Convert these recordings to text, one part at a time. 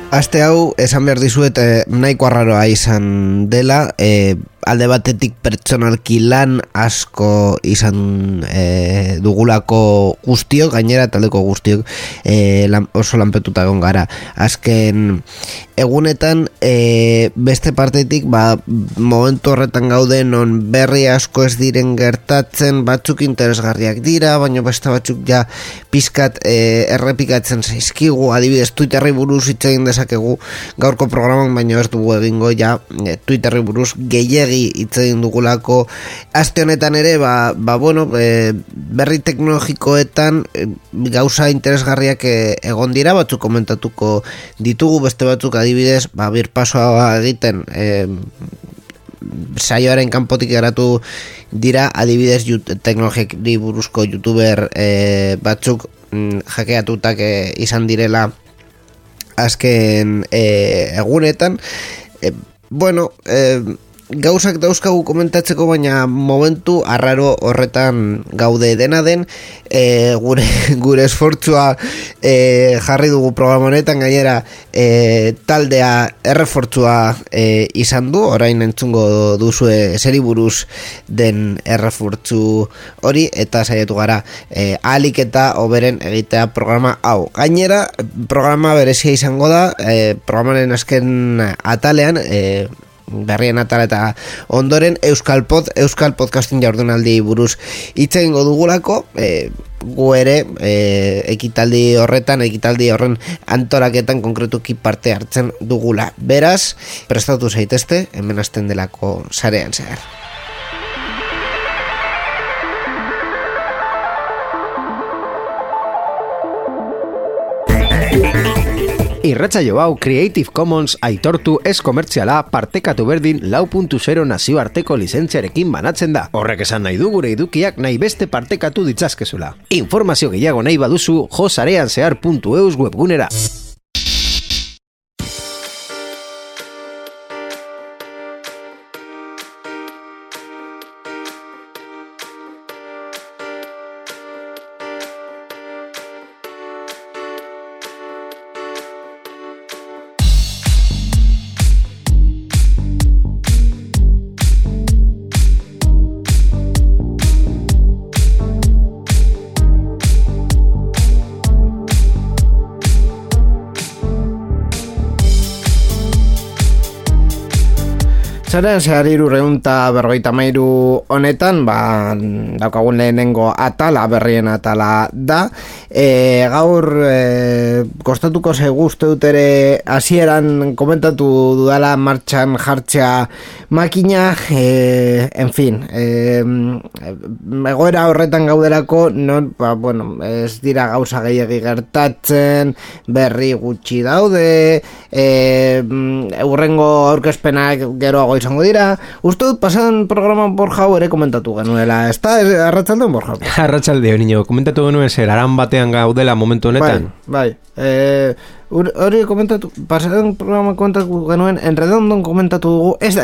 Aste hau, esan behar dizuet, nahiko arraroa izan dela, alde batetik pertsonalki lan asko izan dugulako guztiok, gainera taldeko guztiok oso lanpetuta egon gara. Azken egunetan, beste partetik, momentu horretan gaude non berri asko ez diren gertatzen, batzuk interesgarriak dira, baina beste batzuk ja pizkat errepikatzen zaizkigu, adibidez Twitterri buruz hitz egin dezakegu gaurko programan, baina ez dugu egingo ja Twitterri buruz gehiegi hitz egin dugulako. Aste honetan ere, berri teknologikoetan gauza interesgarriak egon dira, batzuk komentatuko ditugu, beste batzuk adibidez, birpasoa egiten saioaren kanpotik geratu dira, adibidez teknologiari buruzko youtuber batzuk hackeatutak izan direla azken egunetan. Gauzak dauzkagu komentatzeko, baina momentu arraro horretan gaude. Dena den, gure esfortzua jarri dugu programa honetan, gainera taldea errefortzua izan du, orain entzungo duzue zeri buruz den errefortzu hori, eta saiatu gara ahalik eta hoberen egitea programa hau. Gainera, programa berezia izango da, programaren azken atalean, berrien atala eta ondoren Euskal Podcasting jardunaldi buruz hitz egingo dugulako, gu ere ekitaldi horren antolaketan konkretuki parte hartzen dugula. Beraz, prestatu zaitezte, hemen hasten delako sarean zehar. Irratsaio hau Creative Commons aitortu ez komertziala partekatu berdin 4.0 nazioarteko lizentziarekin banatzen da. Horrek esan nahi du gure edukiak nahi beste partekatu ditzazkezula. Informazio gehiago nahi baduzu josareanzehar.eus webgunera. Zaren zehar 353 honetan, daukagun lehenengo atala, berrien atala da. Gaur kostatuko zaigu uste dut ere hasieran komentatu dudala martxan jartzea makina, en fin, egoera horretan gauderako, ez dira gauza gehiagi gertatzen, berri gutxi daude, urrengo aurkezpenak geroago izango dira. Uste dut pasan programan Borja ere komentatu genuela, ez da, arratsaldeon Borja? Arratsaldeon, niño, komentatu genuen zer, aran batean gaudela momentu honetan? Bai. Hori komentatu, pasan programan komentatu genuen, enredondon komentatu dugu, ez da,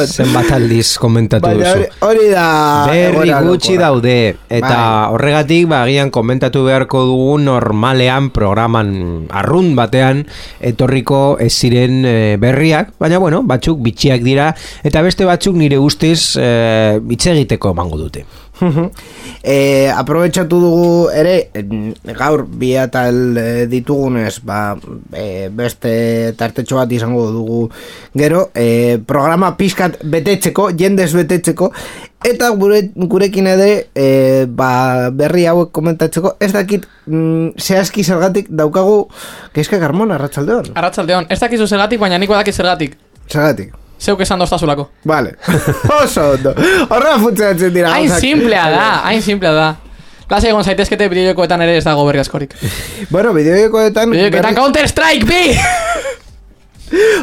zenbat aldiz komentatu duzu. Hori da... Berri gutxi daude, eta horregatik, agian komentatu beharko dugu normalean programan arrunt batean etorriko ez ziren berriak, baina batzuk bitxiak dira, eta beste batzuk nire ustez hitz egiteko emango dute. Aprobetxatu dugu ere gaur bi atal ditugunez, beste tartetxo bat izango dugu gero, programa pizkat betetzeko, jendez betetzeko, eta gurekin ere berri hauek komentatzeko. Ez dakit zehazki zergatik daukagu Kezka Carmona, arratsaldeon. Arratsaldeon, ez dakizu zergatik, baina nik badaki zergatik. Zergatik? Zeuk esan doztazulako. Vale. Oso ondo. Horra funtzionatzen dira. Hain simplea da. Klase egon zaitezkete bideojokoetan ere ez dago berri askorik. Bideojokoetan... Counter Strike, bi!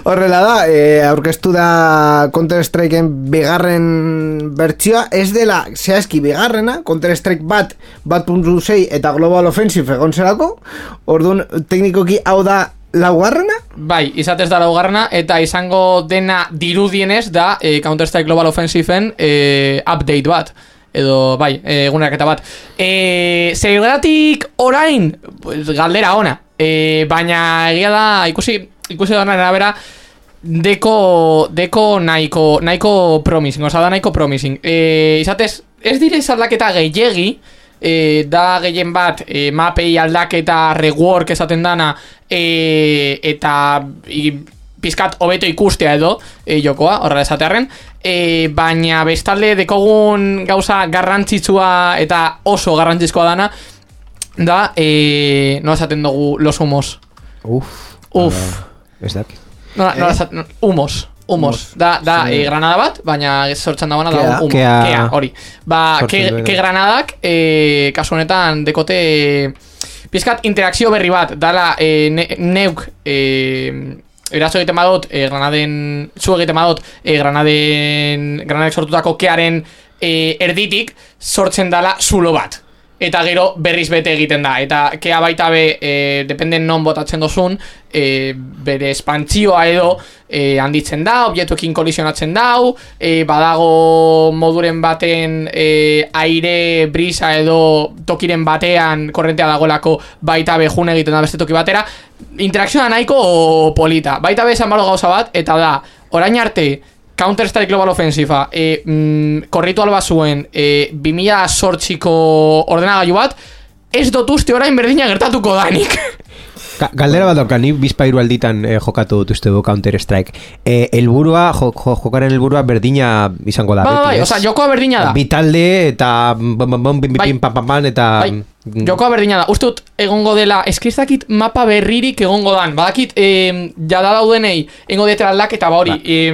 Horrela da, aurkeztu da Counter-Strikeen bigarren bertsioa, ez dela zehazki bigarrena, Counter-Strike 1.6 eta Global Offensive egon zerako, orduan teknikoki hau da laugarrena? Bai, izatez da laugarrena, eta izango dena dirudienez da Counter-Strike Global Offensive-en update bat. Edo, bai, eguneraketa bat. Zergatik orain, pues, galdera ona. Baina egia da, ikusi da arabera, deko nahiko promising, oza da nahiko promising. Izatez, ez dire aldaketa gehiegi, da gehien bat mapei aldaketa rework esaten dana, eta pizkat hobeto ikustea edo jokoa, horrela esatearren, baina bestalde dekogun gauza garrantzitsua eta oso garrantzizkoa dana, da, no esaten dugu los humos. Ez dakit. Humos. Da granada bat, baina sortzen dagoena da humo. Kea, hori. Ke granadak, kasu honetan, dekote pizkat interakzio berri bat, dala neuk eraso egiten badot, zu egiten badot, granadek sortutako kearen erditik, sortzen dala zulo bat. Eta gero berriz bete egiten da. Eta kea baita dependen non botatzen dozun, bere espantzioa edo handitzen da, objektuekin kolisionatzen dau, badago moduren baten aire, brisa edo tokiren batean korrentea dagoelako baita jun egiten da beste toki batera. Interakzioa nahiko polita. Baita esan balo gauza bat, eta da, orain arte, Counter-Strike Global Offensive korritu alba zuen 2008ko ordenagailu bat, ez dut uste orain berdina gertatuko danik. Galdera bat dauka, ni bizpairu alditan jokatu dut uste du Counter-Strike. Jokaren helburua berdina izango da. Bai, oza, jokoa berdina da. Bitalde eta pam eta... Jokoa berdina da. Uste dut egongo dela, eskizakit mapa berririk egongo dan. Badakit, jada daudenei, egongo detera aldaketa ba hori,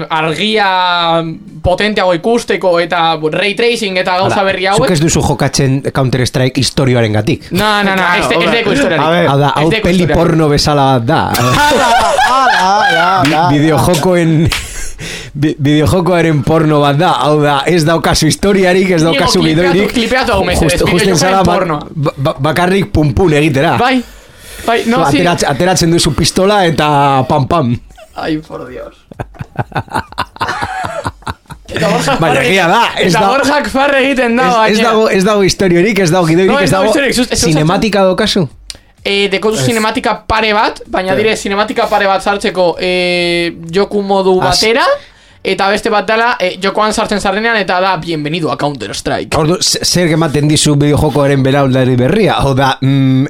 argia potenteago ikusteko eta ray tracing eta gauza berri hauek. Zuk ez duzu jokatzen Counter-Strike historioaren gatik. No, ez deko historiarik. Hau da, hau peli porno bezala bat da. Videojokoaren porno bat da. Hau da, ez daukazu historiarik, ez daukazu gidoirik. Klipeatu hau mesedez, videojokoaren porno. Bakarrik pum-pum egitera. Bai, no, sí. Ateratzen duzu pistola eta pam-pam. Ai, por Dios. Baina egia da. Eta Borjak farre egiten da. Ez dago historiorik, ez dago gidoirik, ez dago cinematika daukazu. Dekotu cinematika pare bat, baina dire cinematika pare bat sartzeko joku modu batera, eta beste bat dela jokoan sartzen zarrenean, eta da bienvenido a Counter-Strike. Zer gematen dizu bideojokoaren belaulari berria? Hau da,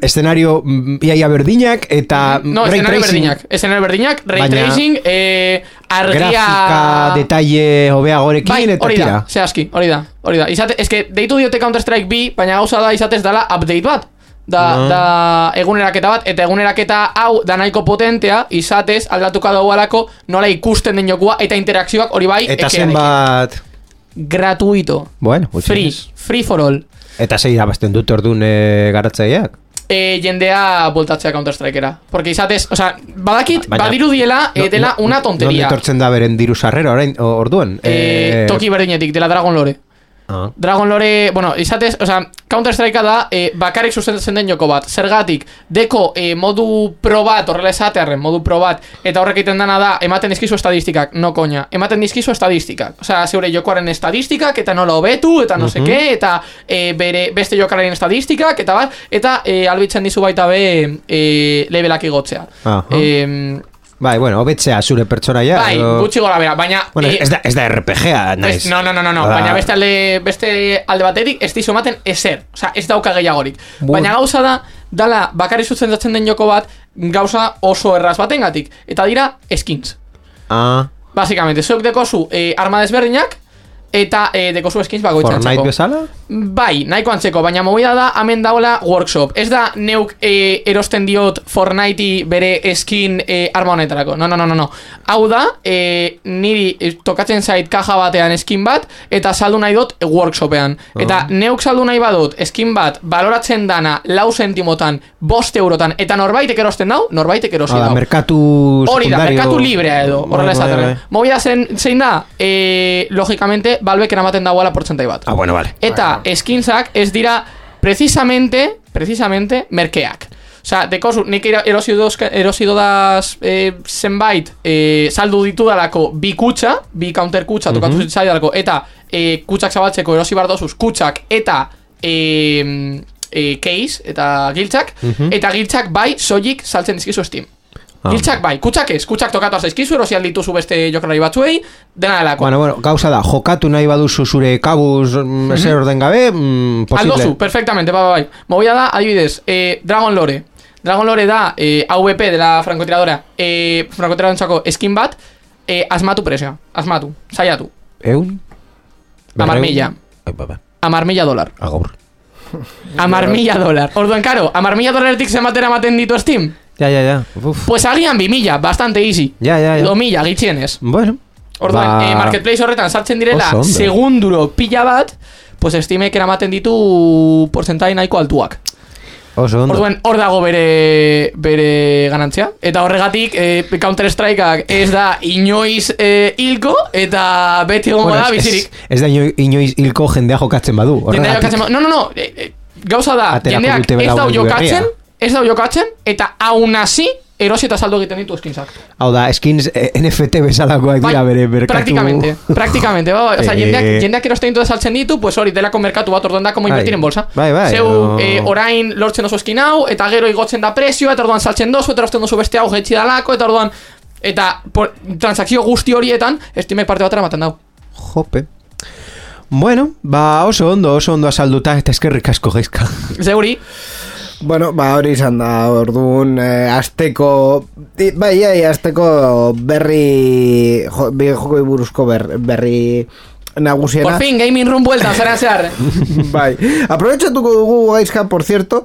eszenario iaia berdinak eta no, ray tracing. Eszenario berdinak, ray tracing, argia... Grafika, detalle, hobeagorekin, bai, eta tira. Bai, zehazki, hori da. Ez deitu diote Counter-Strike B, baina gauza da izatez dela update bat. Da eguneraketa bat, eta eguneraketa hau da nahiko potentea, izatez aldatuka dagoelako nola ikusten den jokua eta interakzioak hori bai. Eta zenbat gratuito. Bueno, free for all. Eta zei irabazten dut orduan garatzaileak? Jendea voltatzea Counter-Strikera. Porque izatez, o sea, badakit, badiru diela, dela una tonteria. Nonde tortzen da beren diru sarrera orduan? Toki berdinetik, dela Dragon Lore. Dragon Lore, bueno, izatez, o sea, Counter-Strikea da bakarrik sustentzen den joko bat. Zergatik, deko modu pro bat, horrela esatearren, modu pro bat, eta horrek egiten dana da, ematen dizkizu estadistikak, no koña, ematen dizkizu estadistikak. O sea, zeure jokoaren estadistikak, eta nola hobetu, eta no seke, eta beste jokalaren estadistikak, eta bat, eta albitzen dizu baita levelak igotzea. Bai, bueno, hobetzea zure pertsonaia. Bai, gutxi gora bera, baina... Bueno, ez da RPG-a, naiz. No, baina beste alde baterik ez dizu ematen ezer. Osa, ez dauka gehiagorik. Baina gauza da, dala, bakarri zuzendatzen den joko bat, gauza oso erraz batengatik. Eta dira, skins. Básicamente, zuek dekozu arma desberdinak, eta dekozu skins bakoitzan txako. Fortnite bezala? Bai, nahiko antzeko, baina movida da, hemen daula workshop. Ez da neuk erosten diot Fortnitei bere skin arma honetarako. No. Hau da, niri tokatzen zait kaja batean skin bat, eta saldu nahi dut workshopean. Eta neuk saldu nahi badut skin bat baloratzen dana 4 centimotan, 5 eurotan, eta norbaitek erosten dau, norbaitek erosi dau. Merkatu hori da, merkatu librea edo, horrela esaten. Movida zein da, logikamente, Valvek eramaten dauala portzentai bat. Bueno, vale. Eta skinsak ez dira precisamente merkeak. Osea, dekozu, nik erosi dodaz zenbait saldu ditu dalako bi kutsa, bi counter kutsa tokatu zitzai dalako, eta kutsak zabaltzeko erosi bardozuz kutsak eta case eta giltzak, eta giltzak bai soilik saltzen dizkizu Steam. Giltzak bai, kutsak tokatu arzizkizu, erosi aldituzu beste jokalari batzuei, dena delako. Bueno, gauza da, jokatu nahi baduzu zure kabuz ezer orden gabe, posible. Aldozu, perfectamente, bai. Movida da, adibidez, Dragon Lore da AVP de la francotiradora, frankotiradorentzako skin bat, asmatu presioa, saiatu. Eun? $10,000. $10,000. Agor. $10,000. Orduan, karo, $10,000 zenbatera maten ditu Steam? Ya. Pues agian 2,000, bastante easy. Ya. 2,000, gitxienez. Bueno. Orduan, marketplace horretan sartzen direla segunduro pila bat, pues Steamek eramaten ditu porcentai nahiko altuak. Orduan, hor dago bere ganantzia. Eta horregatik, Counter Strikeak ez da inoiz hilko, eta beti gongo da bizirik. Ez da inoiz hilko jendea jokatzen badu. No. Gauza da, jendeak ez dau jokatzen, eta aun hasi erosi eta saldo egiten ditu skinsak. Hau da, skins NFT bezalakoak dira bere merkatu. Praktikamente. Osa, jendeak erosten ditu saltzen ditu, pues hori delako merkatu bat orduan da como invertir en bolsa. Bai. Zeu, orain lortzen oso skin hau, eta gero igotzen da prezioa, eta orduan saltzen dozu, eta erosten dozu beste hau jetxi dalako, eta orduan, eta transakzio guzti horietan, Steamek parte batera maten dau. Jope. Bueno, oso ondo asalduta, eta eskerrik asko Gaizka. Zeuri. Bueno, hori izan da, orduan, azteko berri, jokoi buruzko berri nagusiena. Por fin, gaming room vuelta, zehar. Bai, aprobetxatuko dugu Gaizka, por cierto,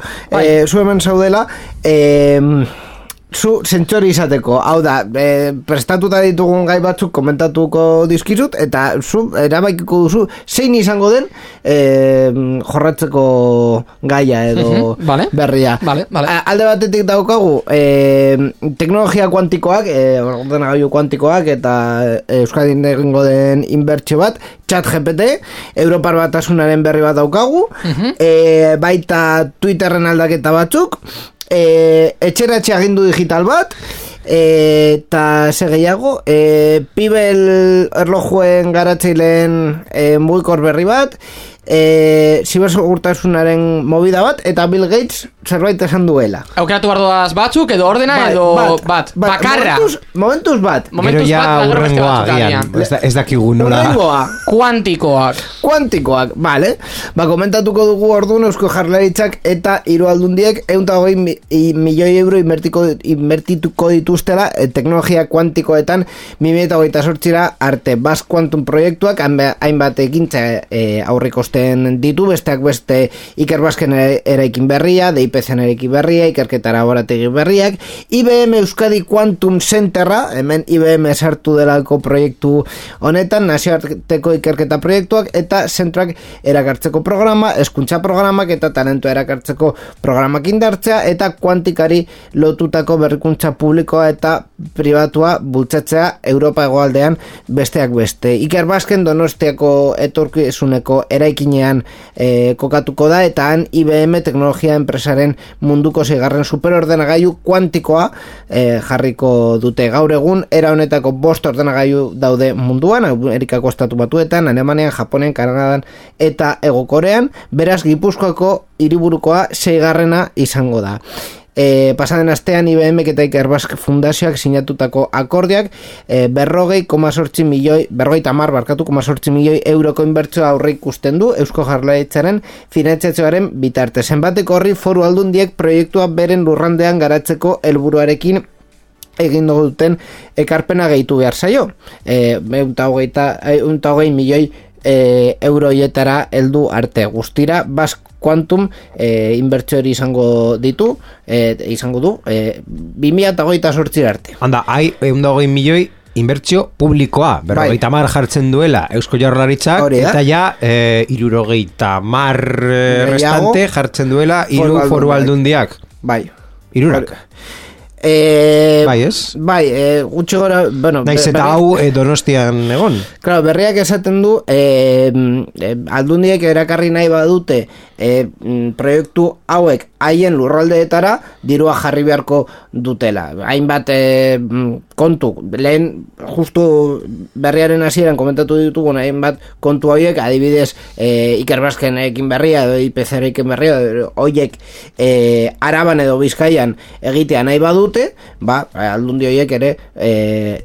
zu hemen zaudela, zu zentzori izateko, hau da, prestatuta ditugun gai batzuk komentatuko dizkizut, eta zu erabakiko duzu zein izango den jorratzeko gaia edo berria. Vale. Alde batetik daukagu teknologia kuantikoak, ordenagailu kuantikoak, eta Euskadin egingo den inbertsio bat, ChatGPT, Europar Batasunaren berri bat daukagu, baita Twitterren aldaketa batzuk, etxeratxe agindu digital bat, eta ze gehiago, Pibel erlojuen garatzeileen mugikor berri bat, zibersegurtasunaren movida bat, eta Bill Gates zerbait esan duela. Aukeratu bardoaz batzuk, edo ordena, edo bat. Bakarra. Momentuz bat. Gero ja urrengoa gian. Ez dakigu nola. Kuantikoak, vale. Komentatuko dugu orduan Eusko Jaurlaritzak eta 3 aldundiek 120 milioi euro invertituko dituztela teknologia kuantikoetan 2028 arte. Basque Quantum proiektuak hainbat ekintza aurrikosten ditu, besteak beste Ikerbasken eraikin berria, DIPC-en eraikin berria, ikerketa laborategi berriak, IBM Euskadi Quantum Centerra, hemen IBM sartu delako proiektu honetan, nazioarteko ikerketa proiektuak, eta zentroak erakartzeko programa, hezkuntza programak eta talentua erakartzeko programak indartzea, eta kuantikari lotutako berrikuntza publikoa eta pribatua bultzatzea Europa hegoaldean besteak beste. Ikerbasken Donostiako etorkizuneko eraikinean kokatuko da, eta han IBM teknologia enpresaren munduko 6. superordenagailu kuantikoa jarriko dute. Gaur egun era honetako 5 ordenagailu daude munduan, Amerikako estatu batuetan, Alemanian, Japonen, Kanadan eta Hego Korean, beraz Gipuzkoako hiriburukoa 6. izango da. Pasaden astean IBM eta Ikerbasque Fundazioak sinatutako akordiak 40,8 milioi euroko inbertsioa aurre ikusten du Eusko Jaurlaritzaren finantzazioaren bitarte. Zenbateko horri foru aldundiek proiektua beren lurrandean garatzeko helburuarekin egin duten ekarpena gehitu behar zaio. 120 milioi euroietara heldu arte. Guztira, Basque Quantum inbertsio hori izango du 2028 arte. Handa, 120 milioi inbertsio publikoa, 50 jartzen duela Eusko Jaurlaritzak, eta ja 70 restante jartzen duela 3 foru aldundiak. Bai. 3. Bai, ez? Bai, gutxi gora, bueno, naiz eta hau Donostian egon. Claro, berriak esaten du aldundiek erakarri nahi badute proiektu hauek haien lurraldeetara dirua jarri beharko dutela. Hainbat kontu, lehen justu berriaren hasieran komentatu ditugun hainbat kontu hauek, adibidez Ikerbaskenekin berria edo IPCrekin berria horiek Araban edo Bizkaian egitea nahi badute, aldundi horiek ere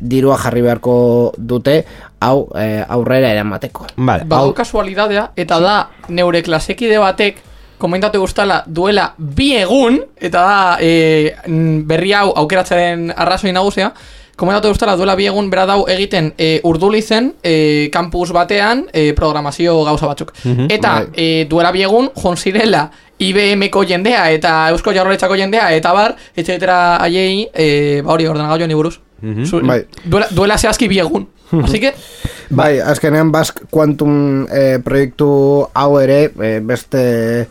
dirua jarri beharko dute hau aurrera eramateko. Vale. Hau kasualidadea, eta da neure klasekide batek komentatu guztala duela 2 egun, eta da berri hau aukeratzaren arrazoi nagusia, komentatu guztala duela 2 egun bera dau egiten Urdulizen kampus batean programazio gauza batzuk. Eta duela 2 egun jon zirela IBM-ko jendea eta Eusko Jaurlaritzako jendea eta bar, etxetera aiei hori ordenagailuan iburuz. Duela zehazki 2 egun. Así que bai, azkenean Basque Quantum proiektu hau ere beste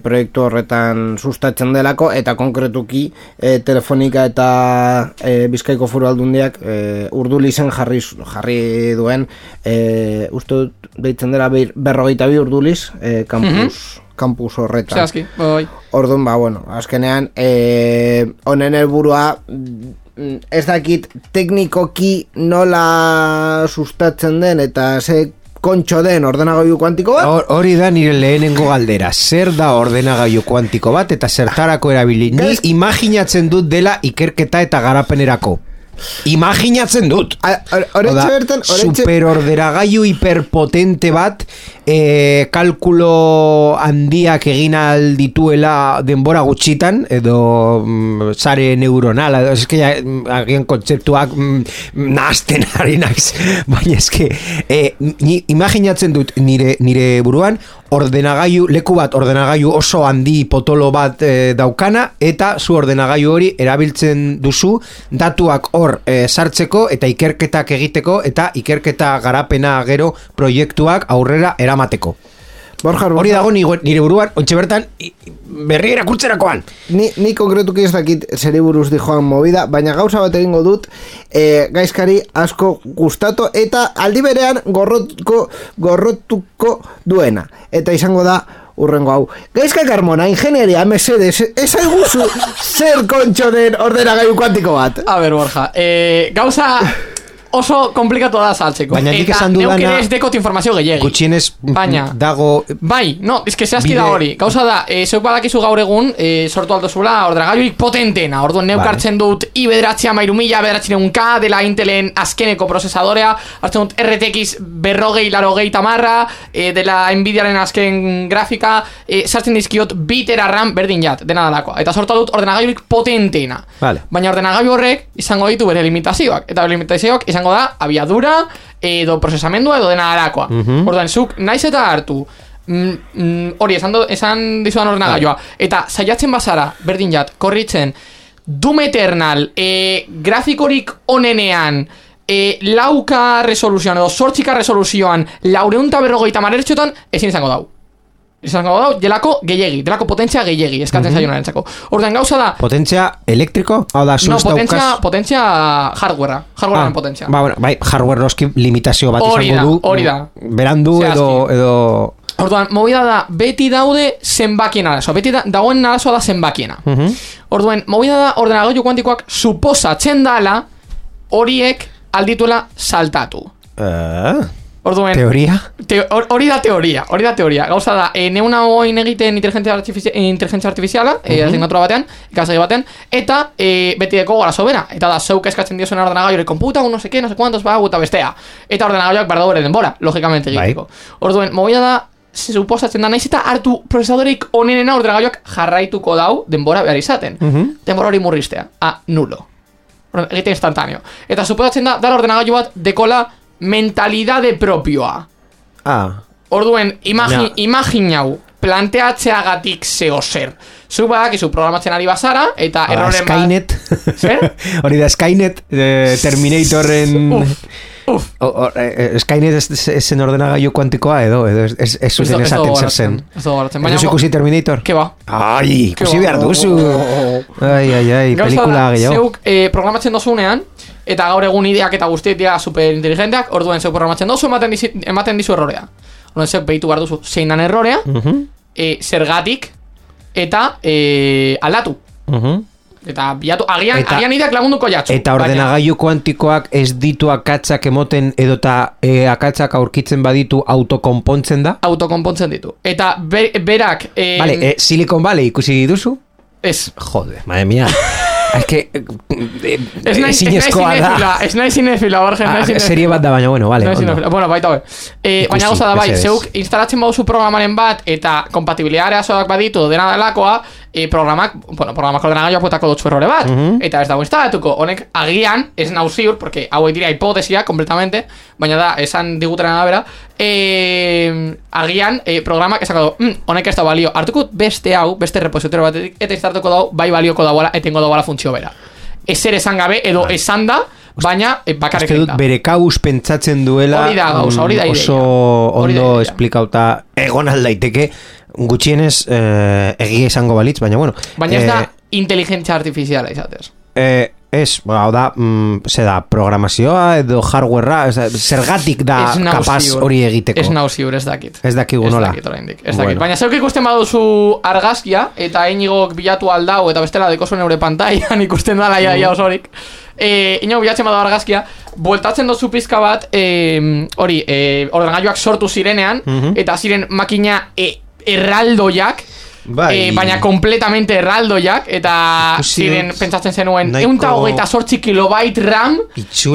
proiektu horretan sustatzen delako, eta konkretuki Telefonika eta Bizkaiko Foru Aldundiak Urdulizen jarri duen uste dut deitzen dela 42 Urduliz kampus horretan. Zehazki, bai. Orduan, bueno, azkenean honen helburua ez dakit teknikoki nola sustatzen den eta ze kontxo den ordenagailu kuantiko bat. Hori da nire lehenengo galdera. Zer da ordenagailu kuantiko bat eta zertarako erabili? Ni imaginatzen dut dela ikerketa eta garapenerako. Imaginatzen dut. Superordenagailu hiperpotente bat kalkulo handiak egin aldituela denbora gutxitan edo sare neuronala eske agian kontzeptuak nahasten ari naiz, baina eske ni imaginatzen dut nire buruan leku bat ordenagailu oso handi potolo bat daukana, eta zu ordenagailu hori erabiltzen duzu datuak hor sartzeko eta ikerketak egiteko eta ikerketa garapena gero proiektuak aurrera eramateko. Hori dago nire buruan, ontxe bertan berri erakurtzerakoan. Ni konkretuki ez dakit zeri buruz dijoan movida, baina gauza bat egingo dut gaizkari asko gustatu eta aldi berean gorrotuko duena. Eta izango da urrengo hau. Gaizka Carmona, ingenieria, mesedes, ezaiguzu zer kontxo den ordenagailu kuantiko bat? A ber, Borja, gauza oso komplikatu da saltzeko. Baina nik esan dudana neuk ere ez dekot informazio gehiagi. Gutxienez dago. Bai, no, ez que zehazki da hori. Gauza da, zeuk badakizu gaur egun sortu aldozula ordenagailurik potentena. Orduan neuk hartzen dut i9 900K dela Intelen azkeneko prozesadorea, hartzen dut RTX 240 dela Nvidiaren azken grafika, sartzen dizkiot bitera RAM berdin jat, dena dalakoa. Eta sortu dut ordenagailurik potentena. Baina ordenagailu horrek izango ditu bere limitazioak. Eta bere limitazioak izango da abiadura edo prozesamendua edo dena dalakoa. Orduan, zuk naiz eta hartu hori esan dizudan ordenagailua eta saiatzen bazara berdin jat korritzen Doom Eternal grafikorik onenean 4K resoluzioan edo 8K resoluzioan 450 Hz ezin izango dau. Izango dau, delako gehiegi, delako potentzia gehiegi eskatzen zaionaren txako. Orduan gauza da potentzia elektriko? No, potentzia hardwarearen potentzia. Bai, hardware noski limitazio bat izango du. Hori da. Berandu edo orduan, movida da, beti daude zenbakien arazoa. Beti dagoen arazoa da zenbakiena. Orduan, movida da, ordenagailu kuantikoak suposatzen dala horiek aldituela saltatu. Orduan, teoria? Hori da teoria. Gauza da, neuna hoin egiten inteligentzia artifiziala, asignatura batean, ikasegi batean, eta beti deko gara sobera. Eta da, zeuk eskatzen diozuen ordenagailu konputa, no sé cuantos, eta bestea. Eta ordenagailuak behar daure denbora, logikamente egiteko. Orduan, movida da, suposatzen da, naiz eta hartu prozesadorik onenena ordenagailuak jarraituko dau denbora behar izaten. Denbora hori murriztea. Nulo. Egite instantáneo. Eta suposatzen da, dara ordenagailu bat dekola mentalidade propioa. Orduen, imaginau, planteatzeagatik zeo zer. Zuk badakizu programatzen ari bazara, eta erroren Skynet. Zer? Hori da, Skynet, Terminatorren... Skynet esen ordenagailu kuantikoa edo ez zuten esaten zer zen. Ez duzu ikusi Terminator? Ke ba? Ai, ikusi behar duzu. Ai, pelikula gehiago. Zeuk programatzen dozunean, eta gaur egun ideak eta guztiek dira superinteligenteak, orduen zeuk programatzen dozu, ematen dizu errorea. Orduen zeuk behitu behar duzu zein dan errorea, zergatik, eta aldatu. Eta bilatu, agian ideak lagunduko jatzu. Eta ordenagailu kuantikoak ez ditu akatzak emoten edota akatzak aurkitzen baditu autokonpontzen da? Autokonpontzen ditu. Eta berak... Vale, Silicon Valley ikusi duzu? Ez. Joder, madre mía. Es que... Ez nahi zinefila, Borja, ez nahi zinefila. Serie bat da, baina, bueno, vale. Bueno, baita hori. Baina gauza da, bai, zeuk instalatzen bauzu programaren bat eta kompatibilidadea zoak baditu dena delakoa, programak ordenagailuak puetako dutzu errore bat. Eta ez dago instalatuko. Honek agian, ez nau ziur, porque hauek dira hipotesia, completamente, baina da, esan diguteren arabera, agian programak esako du, honek ez da balio. Hartuko beste hau, beste repositorio batetik, eta instalatuko dau, bai balioko dauala, etengo dauala funtzio bera. Ezer esan gabe, edo esan da, baina bakarrik egin da. Bere kabuz pentsatzen duela, hori da gauza, hori da oso ondo esplikauta egon aldaiteke, gutxienez egia izango balitz, baina bueno. Baina ez da inteligentzia artifiziala izatez. Ez, hau da, programazioa edo hardwarea, zergatik da kapaz hori egiteko. Ez nau ziur, ez dakit. Ez dakigu nola. Ez dakit. Baina zeuk ikusten baduzu argazkia, eta inigok bilatu aldau, eta bestela deko zuen eure pantailan ikusten dala ia osorik. Inogok bilatzen badu argazkia, bueltatzen dozu pizka bat, ordenagailuak sortu zirenean, eta ziren makina erraldoiak, baina completamente erraldoiak, eta ziren pentsatzen zenuen 128 kilobait RAM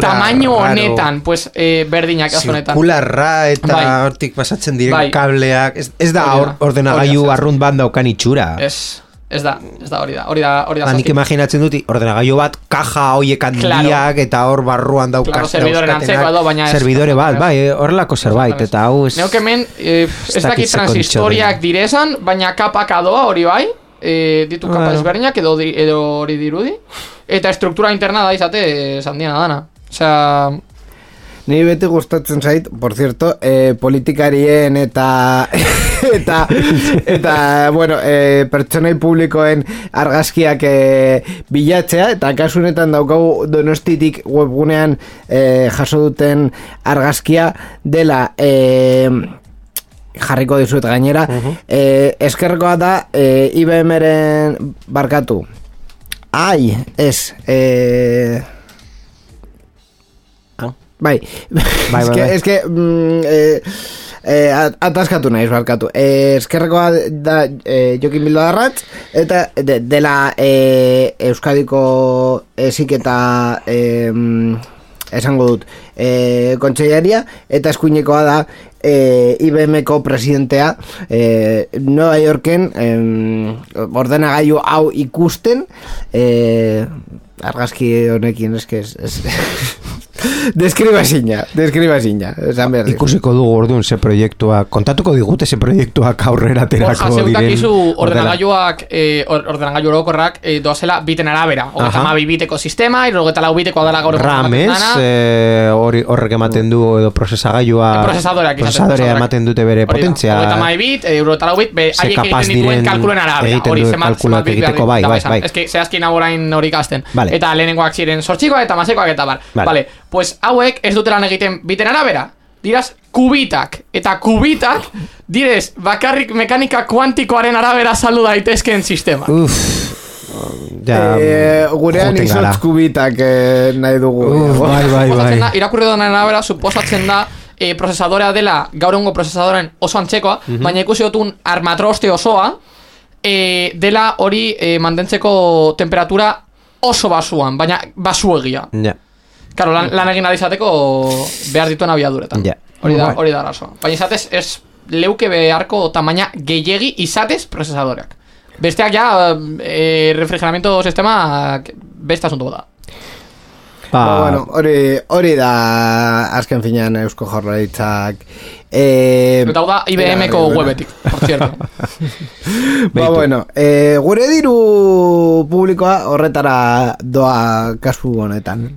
tamaino honetan, pues berdinak azonetan. Zirkularra eta hortik pasatzen diren kableak, ez da ordenagailu arrunt bat daukan itxura. Ez da, hori da. Nik imaginatzen dut, ordenagailu bat, kaja hoiek handiak, eta hor barruan daukaz. Servidoren antzeko edo, baina ez. Servidore bat, horrelako zerbait, eta hau ez... Neuk hemen, ez dakit transistoriak direzan, baina kapak adoa hori bai, ditu kapa ezberdinak edo hori dirudi, eta estruktura interna da izate, sandiena dana. Osea... Ni beti gustatzen zait, por cierto, politikarien eta bueno, pertsonai publikoen argazkiak bilatzea, eta kasunetan daukagu Donostitik webgunean jaso duten argazkia dela jarriko dizuet gainera, eskerrekoa da IBM-ren barkatu. Bai. Es que ataskatu naiz barkatu. Eskerrekoa da Jokin Bildarratz eta dela Euskadiko heziketa esango dut kontseilaria, eta eskuinekoa da IBM-ko presidentea Nueva Yorken ordenagailu hau ikusten argazki honekin eske Deskriba zina, ikusiko dugu orduan ze proiektua, kontatuko digute ze proiektuak aurrera terako diren. Zeutakizu ordenagailuak, ordenagailu orokorrak doazela biten arabera. 32 biteko sistema, 64 biteko adala gaur. RAM-ez, horrek ematen du edo prozesadorea ematen dute bere potentzia. 32 bit, 64 bit, haiek egiten dituen kalkuluen arabera. Egiten duen kalkuloak egiteko, bai. Ez que zehazkin aborain hori ikasten. Eta lehenengoak ziren sortxikoak eta masekoak eta bar. Vale. Pues hauek ez dutelan egiten biten arabera. Diraz, kubitak. Eta kubitak, direz, bakarrik mekanika kuantikoaren arabera saldu daitezkeen sistema. Gurean izotz kubitak nahi dugu. Bai. Irakurri donen arabera, suposatzen da prozesadorea dela, gaur egungo prozesadoren oso antzekoa, baina ikusi dutun armatroste osoa, dela hori mantentzeko temperatura oso basuan, baina basuegia. Claro, lan egin adizateko behar dituen abiaduretan. Hori da arazoa. Baina izatez, ez leuke beharko tamaina gehiegi izatez prozesadoreak. Besteak ja, refrigeramiento sistema beste asunto da. Bueno, hori da azken finean Eusko Jaurlaritzak eta hau da IBM-ko webetik, por cierto. Bueno, gure diru publikoa horretara doa kasu honetan.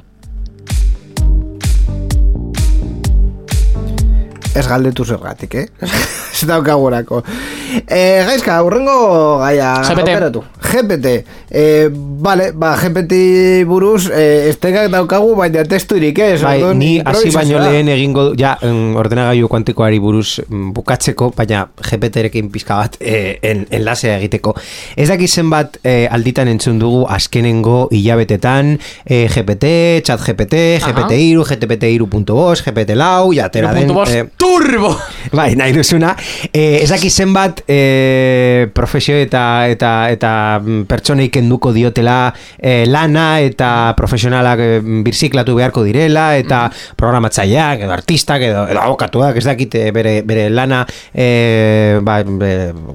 Ez galdetu zergatik, ez daukagurako. Gaizka, urrengo gaia operatu. GPT. Vale, GPT buruz estekak daukagu, baina testurik, Bai, ni hasi baino lehen egingo ja ordenagailu kuantikoari buruz bukatzeko, baina GPT-rekin pizka bat enlasea egiteko. Ez daki zenbat alditan entzun dugu azkenengo hilabetetan GPT, chat GPT, GPT-3, GPT-3.5, GPT-lau, jatera den... Turbo! Bai, nahi duzuna. Ez daki zenbat profesio eta pertsonei kenduko diotela lana eta profesionalak birziklatu beharko direla eta programatzaileak edo artistak edo abokatuak, ez dakit bere lana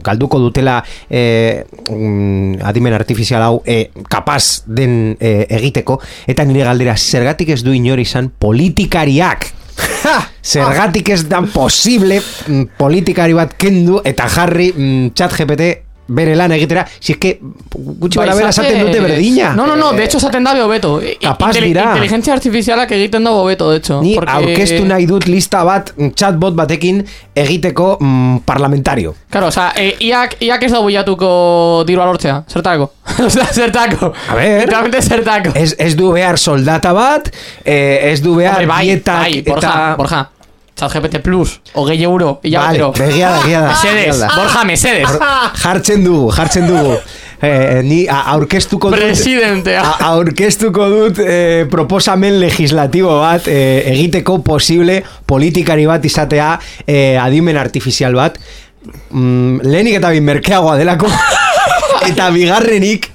galduko dutela adimen artifizial hau kapaz den egiteko, eta nire galdera, zergatik ez du inor izan politikariak? Zergatik ez da posible politikari bat kendu eta jarri chat GPT bere lan egitera, si es que gutxi bara bera esaten dute berdina. No, de hecho esaten da beto. Kapaz dira. Inteligentzia artifizialak egiten da beto, de hecho. Ni aurkeztu nahi dut lista bat chatbot batekin egiteko parlamentario. Claro, o sea, iak ez da buiatuko diru alortzea, zertako. O sea, zertako. A ver. Literalmente zertako. Ez du behar soldata bat, ez du behar dietak eta... Borja. ChatGPT Plus, €20, vale, begia da. Mesedes. Jartzen dugu. Ni aurkeztuko dut presidentea. Aurkeztuko dut proposamen legislatibo bat egiteko posible politikari bat izatea adimen artifizial bat. Lehenik eta merkeagoa delako. Eta bigarrenik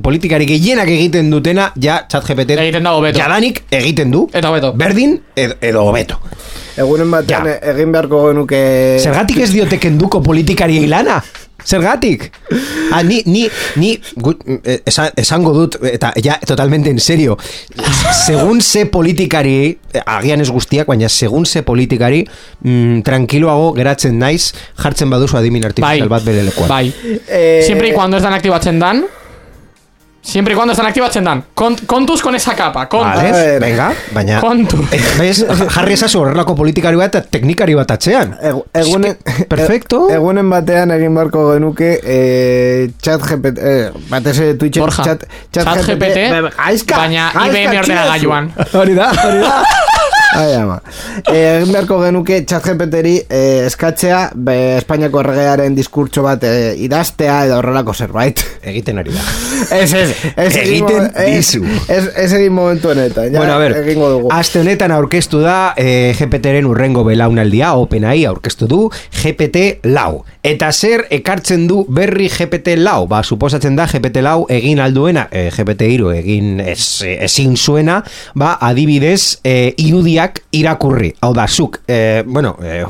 politikari gehienak egiten dutena ja ChatGPT jadanik egiten du eta hobeto. Berdin edo hobeto. Egunen batean egin beharko genuke... Zergatik ez diote kenduko politikari lana? Zergatik? Ni esango dut, eta ja, totalmente en serio, segun ze politikari, agian ez guztiak, baina segun ze politikari, tranquiloago geratzen naiz, jartzen baduzu adimin artifizial bat bere lekuan. Bai. Siempre y cuando están aktibatzen dan, kontuz con esa capa, kontuz. Vale, venga, baina... Kontuz. Jarri esazu horrelako politikari bat eta teknikari bat atzean. Perfecto. Egunen batean egin barko genuke ChatGPT, batez Twitchen ChatGPT, baina IBM ordenagailuan. Hori da. Egin beharko genuke ChatGPT-ri eskatzea Espainiako erregearen diskurtso bat idaztea edo horrelako zerbait. Egiten ari da. Egiten dizu. Ez egin momentu honetan. Bueno, a ver, aste honetan aurkeztu da GPT-ren urrengo belaunaldia, OpenAI aurkeztu du GPT-lau. Eta zer ekartzen du berri GPT-lau? Suposatzen da GPT-lau egin alduena, GPT-3 egin ezin zuena, adibidez irudiak irakurri. Hau da, zuk,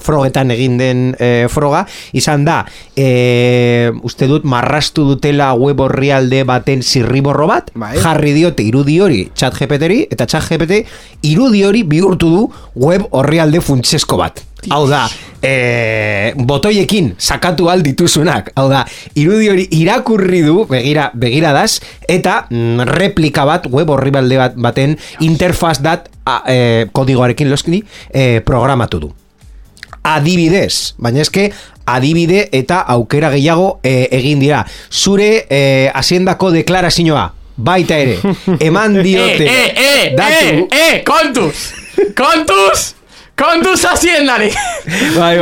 frogetan egin den froga, izan da, uste dut marrastu dutela web orrialde baten zirriborro bat, jarri diote irudi hori ChatGPT-ri, eta ChatGPT irudi hori bihurtu du web orrialde funtsesko bat. Hau da, botoiekin sakatu aldituzunak. Hau da, irudi hori irakurri du, begiradaz, eta replika bat, web orrialde baten interfaz dat kodigoarekin loskini programatu du. Adibidez, baina eske adibide eta aukera gehiago egin dira. Zure haziendako deklarazioa baita ere eman diote datu kontuz haziendari. Bai.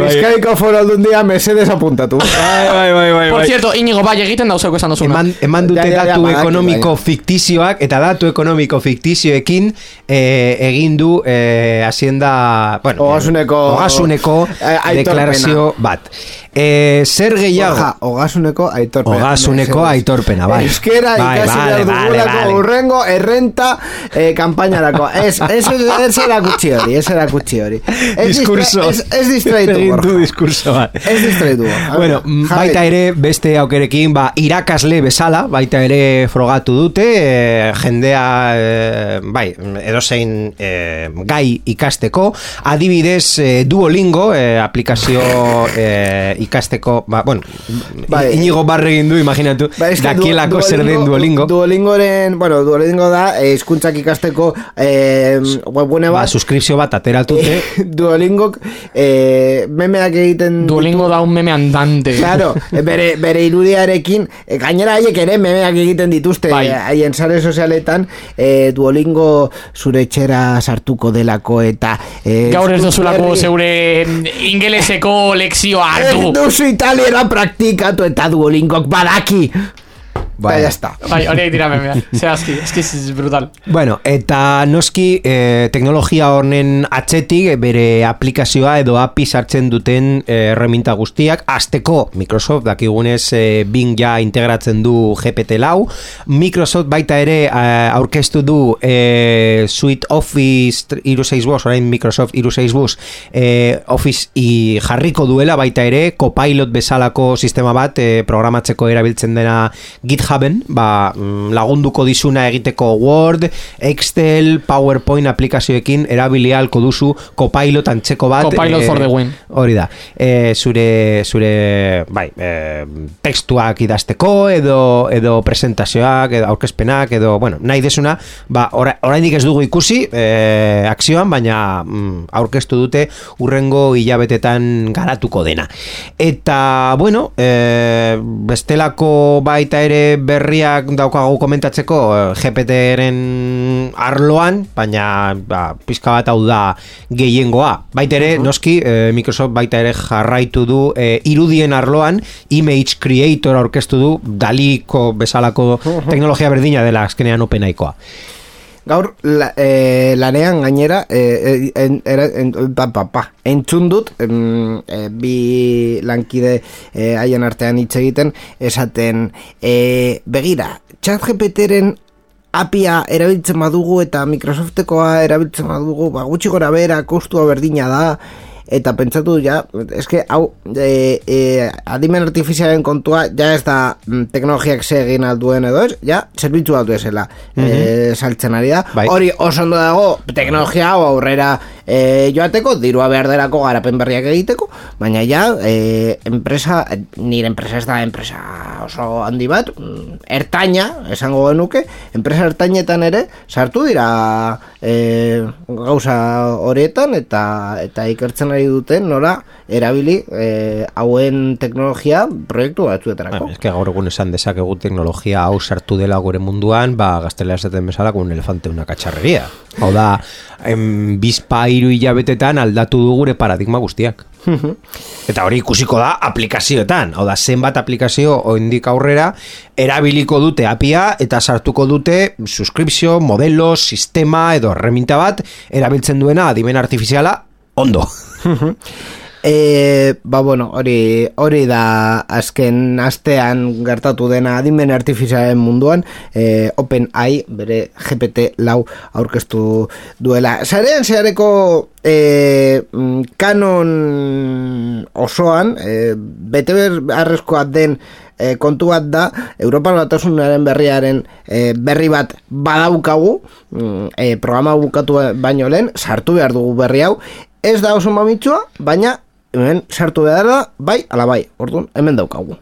Bizkaiko Foru Aldundia mesedes apuntatu. Bai. Por cierto, Iñigo, bai, egiten dauzeko esan duzuna. Eman dute datu ekonomiko fiktizioak, eta datu ekonomiko fiktizioekin egin du hazienda, Ogasuneko deklarazio bat. Zer gehiago? Ogasuneko aitorpena. Ogasuneko aitorpena, bai. Euskera ikasi behar dugulako urrengo errenta kampainarako. Ez erakutsi hori. Diskurso. Ez distraitu. Egintu diskurso bat. Ez distraitu. Bueno, baita ere, beste aukerekin, irakasle bezala, baita ere frogatu dute, jendea, bai, edozein gai ikasteko, adibidez Duolingo, aplikazio ikasteko, Inigo Barregin du, imaginatu, dakielako zer den Duolingo. Duolingo da, hizkuntzak ikasteko webgune bat. Suskripzio bat ateratute. Duolingok memeak egiten... Duolingo da un meme andante. Claro, bere irudiarekin, gainera haiek ere memeak egiten dituzte, haien sare sozialetan, Duolingo zure etxera sartuko delako eta... Gaur ez duzulako zeure ingeleseko lekzioa hartu. Ez duzu italiera praktikatu eta Duolingok badaki. Bai, ya está. Bai, horiek dira memea. Zehazki, es brutal. Bueno, eta noski teknologia honen atzetik bere aplikazioa edo API sartzen duten erreminta guztiak. Azteko, Microsoft dakigunez Bing ja integratzen du GPT-4. Microsoft baita ere aurkeztu du Suite Office 365, orain Microsoft 365 Office jarriko duela baita ere Copilot bezalako sistema bat programatzeko erabiltzen dena GitHub lagunduko dizuna egiteko Word, Excel, PowerPoint aplikazioekin erabili ahalko duzu Copilot antzeko bat. Copilot for the win. Hori da. Zure tekstuak idazteko edo presentazioak, edo aurkezpenak, edo, nahi desuna, oraindik ez dugu ikusi akzioan, baina aurkeztu dute urrengo hilabetetan garatuko dena. Eta, bestelako baita ere berriak daukagu komentatzeko GPT-ren arloan, baina pizka bat hau da gehiengoa. Baita ere, noski, Microsoft baita ere jarraitu du irudien arloan, Image Creator aurkeztu du, Daliko bezalako teknologia berdina dela azkenean OpenAIkoa. Gaur lanean gainera entzun dut bi lankide haien artean hitz egiten esaten begira, ChatGPTren APIa erabiltzen badugu eta Microsoftekoa erabiltzen badugu, gutxi gora bera kostua berdina da. Eta pentsatu hau adimen artifizialen kontua ja ez da teknologiak segin alduen edo ez, ja zerbitzu aldu esela saltzen ari da. Hori oso ondo dago teknologia hau aurrera joateko, dirua behar derako garapen berriak egiteko, baina ja nire enpresa ez da enpresa oso handi bat, ertaina, esango genuke, enpresa ertainetan ere sartu dira gauza horietan eta ikertzen ari duten nola erabili hauen teknologia proiektu batzuetarako. Ez que gaur egun esan dezakegu teknologia hau sartu dela gure munduan, gaztelera esaten bezala un elefante una cacharrería. Hau da, bizpa 3 hilabetetan aldatu du gure paradigma guztiak. Eta hori ikusiko da aplikazioetan. Hau da, zenbat aplikazio oraindik aurrera erabiliko dute APIa eta sartuko dute suskripzio, modelo, sistema edo erreminta bat erabiltzen duena adimen artifiziala ondo. Hori da azken astean gertatu dena adimen artifizialen munduan, OpenAI bere GPT-4 aurkeztu duela. Sarean zehareko kanon osoan bete beharrezkoa den kontu bat da, Europar Batasunaren berri bat badaukagu, programa bukatu baino lehen, sartu behar dugu berri hau, ez da oso mamitsua, baina hemen sartu behar da, bai, ala bai, orduan, hemen daukagu.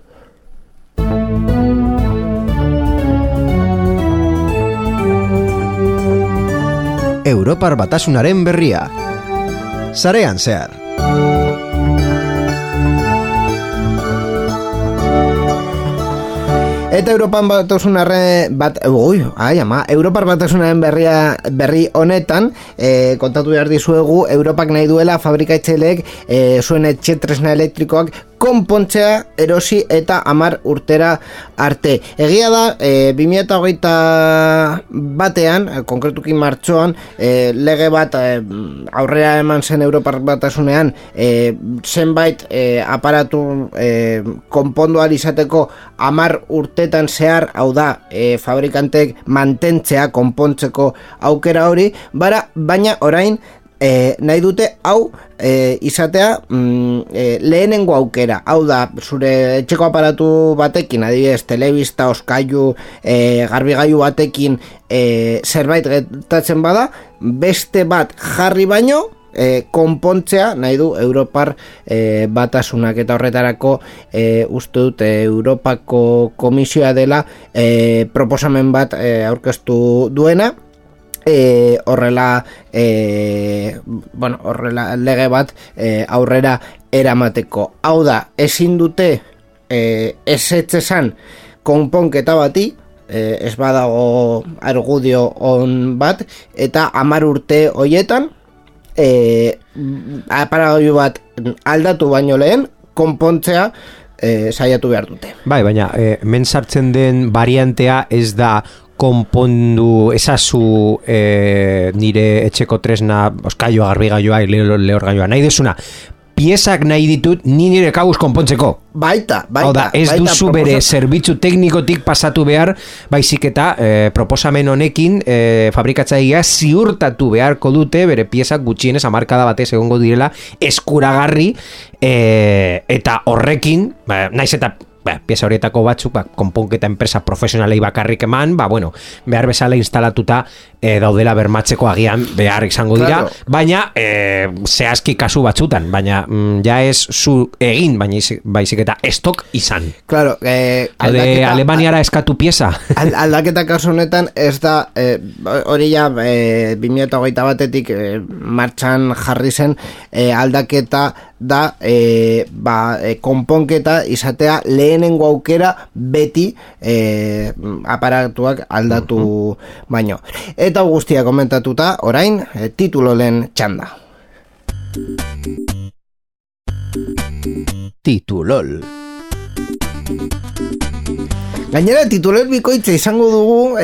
Europar Batasunaren berria. Sarean zehar. Eta Europar Batasunaren berri honetan kontatu behar dizuegu Europak nahi duela fabrikatzaileek zuen etxe tresna elektrikoak konpontzea erosi eta 10 urtera arte. Egia da 2021 batean, konkretuki martxoan, lege bat aurrera eman zen Europar Batasunean zenbait aparatu konpondual izateko 10 urtetan zehar, hau da, fabrikantek mantentzea, konpontzeko aukera hori, baina orain nahi dute hau izatea lehenengo aukera. Hau da, zure etxeko aparatu batekin, adibidez, telebista, oskailu, garbigailu batekin zerbait gertatzen bada, beste bat jarri baino konpontzea nahi du Europar Batasunak, eta horretarako uste dut Europako Komisioa dela proposamen bat aurkeztu duena, horrela lege bat aurrera eramateko. Hau da, ezin dute ezetzesan konponketa bati, ez badago argudio on bat, eta 10 urte hoietan aparatu bat aldatu baino lehen konpontzea saiatu behar dute. Bai, baina men sartzen den variantea ez da konpondu ezazu nire etxeko tresna, oskailua, garbigailoa, lehorgailua, nahi desuna, piezak nahi ditut ni nire kabuz konpontzeko. Baita. Ez duzu bere zerbitzu teknikotik pasatu behar, baizik eta proposamen honekin fabrikatzailea ziurtatu beharko dute bere piezak gutxienez hamarkada batez egongo direla eskuragarri, eta horrekin, naiz eta pieza horietako batzuk konponketa enpresa profesionalei bakarrik eman, behar bezala instalatuta daudela bermatzeko agian behar izango dira, claro. Baina zehazki kasu batzutan, baina ja ez zu egin, baizik eta estok izan. Claro, Alemaniara eskatu pieza. Aldaketa kasu honetan ez da hori ja 2021 batetik martxan jarri zen aldaketa da konponketa izatea lehenengo aukera beti aparatuak aldatu baino. Eta guztia komentatuta, orain titulolen txanda. Titulol. Gainera, tituler bikoitza izango dugu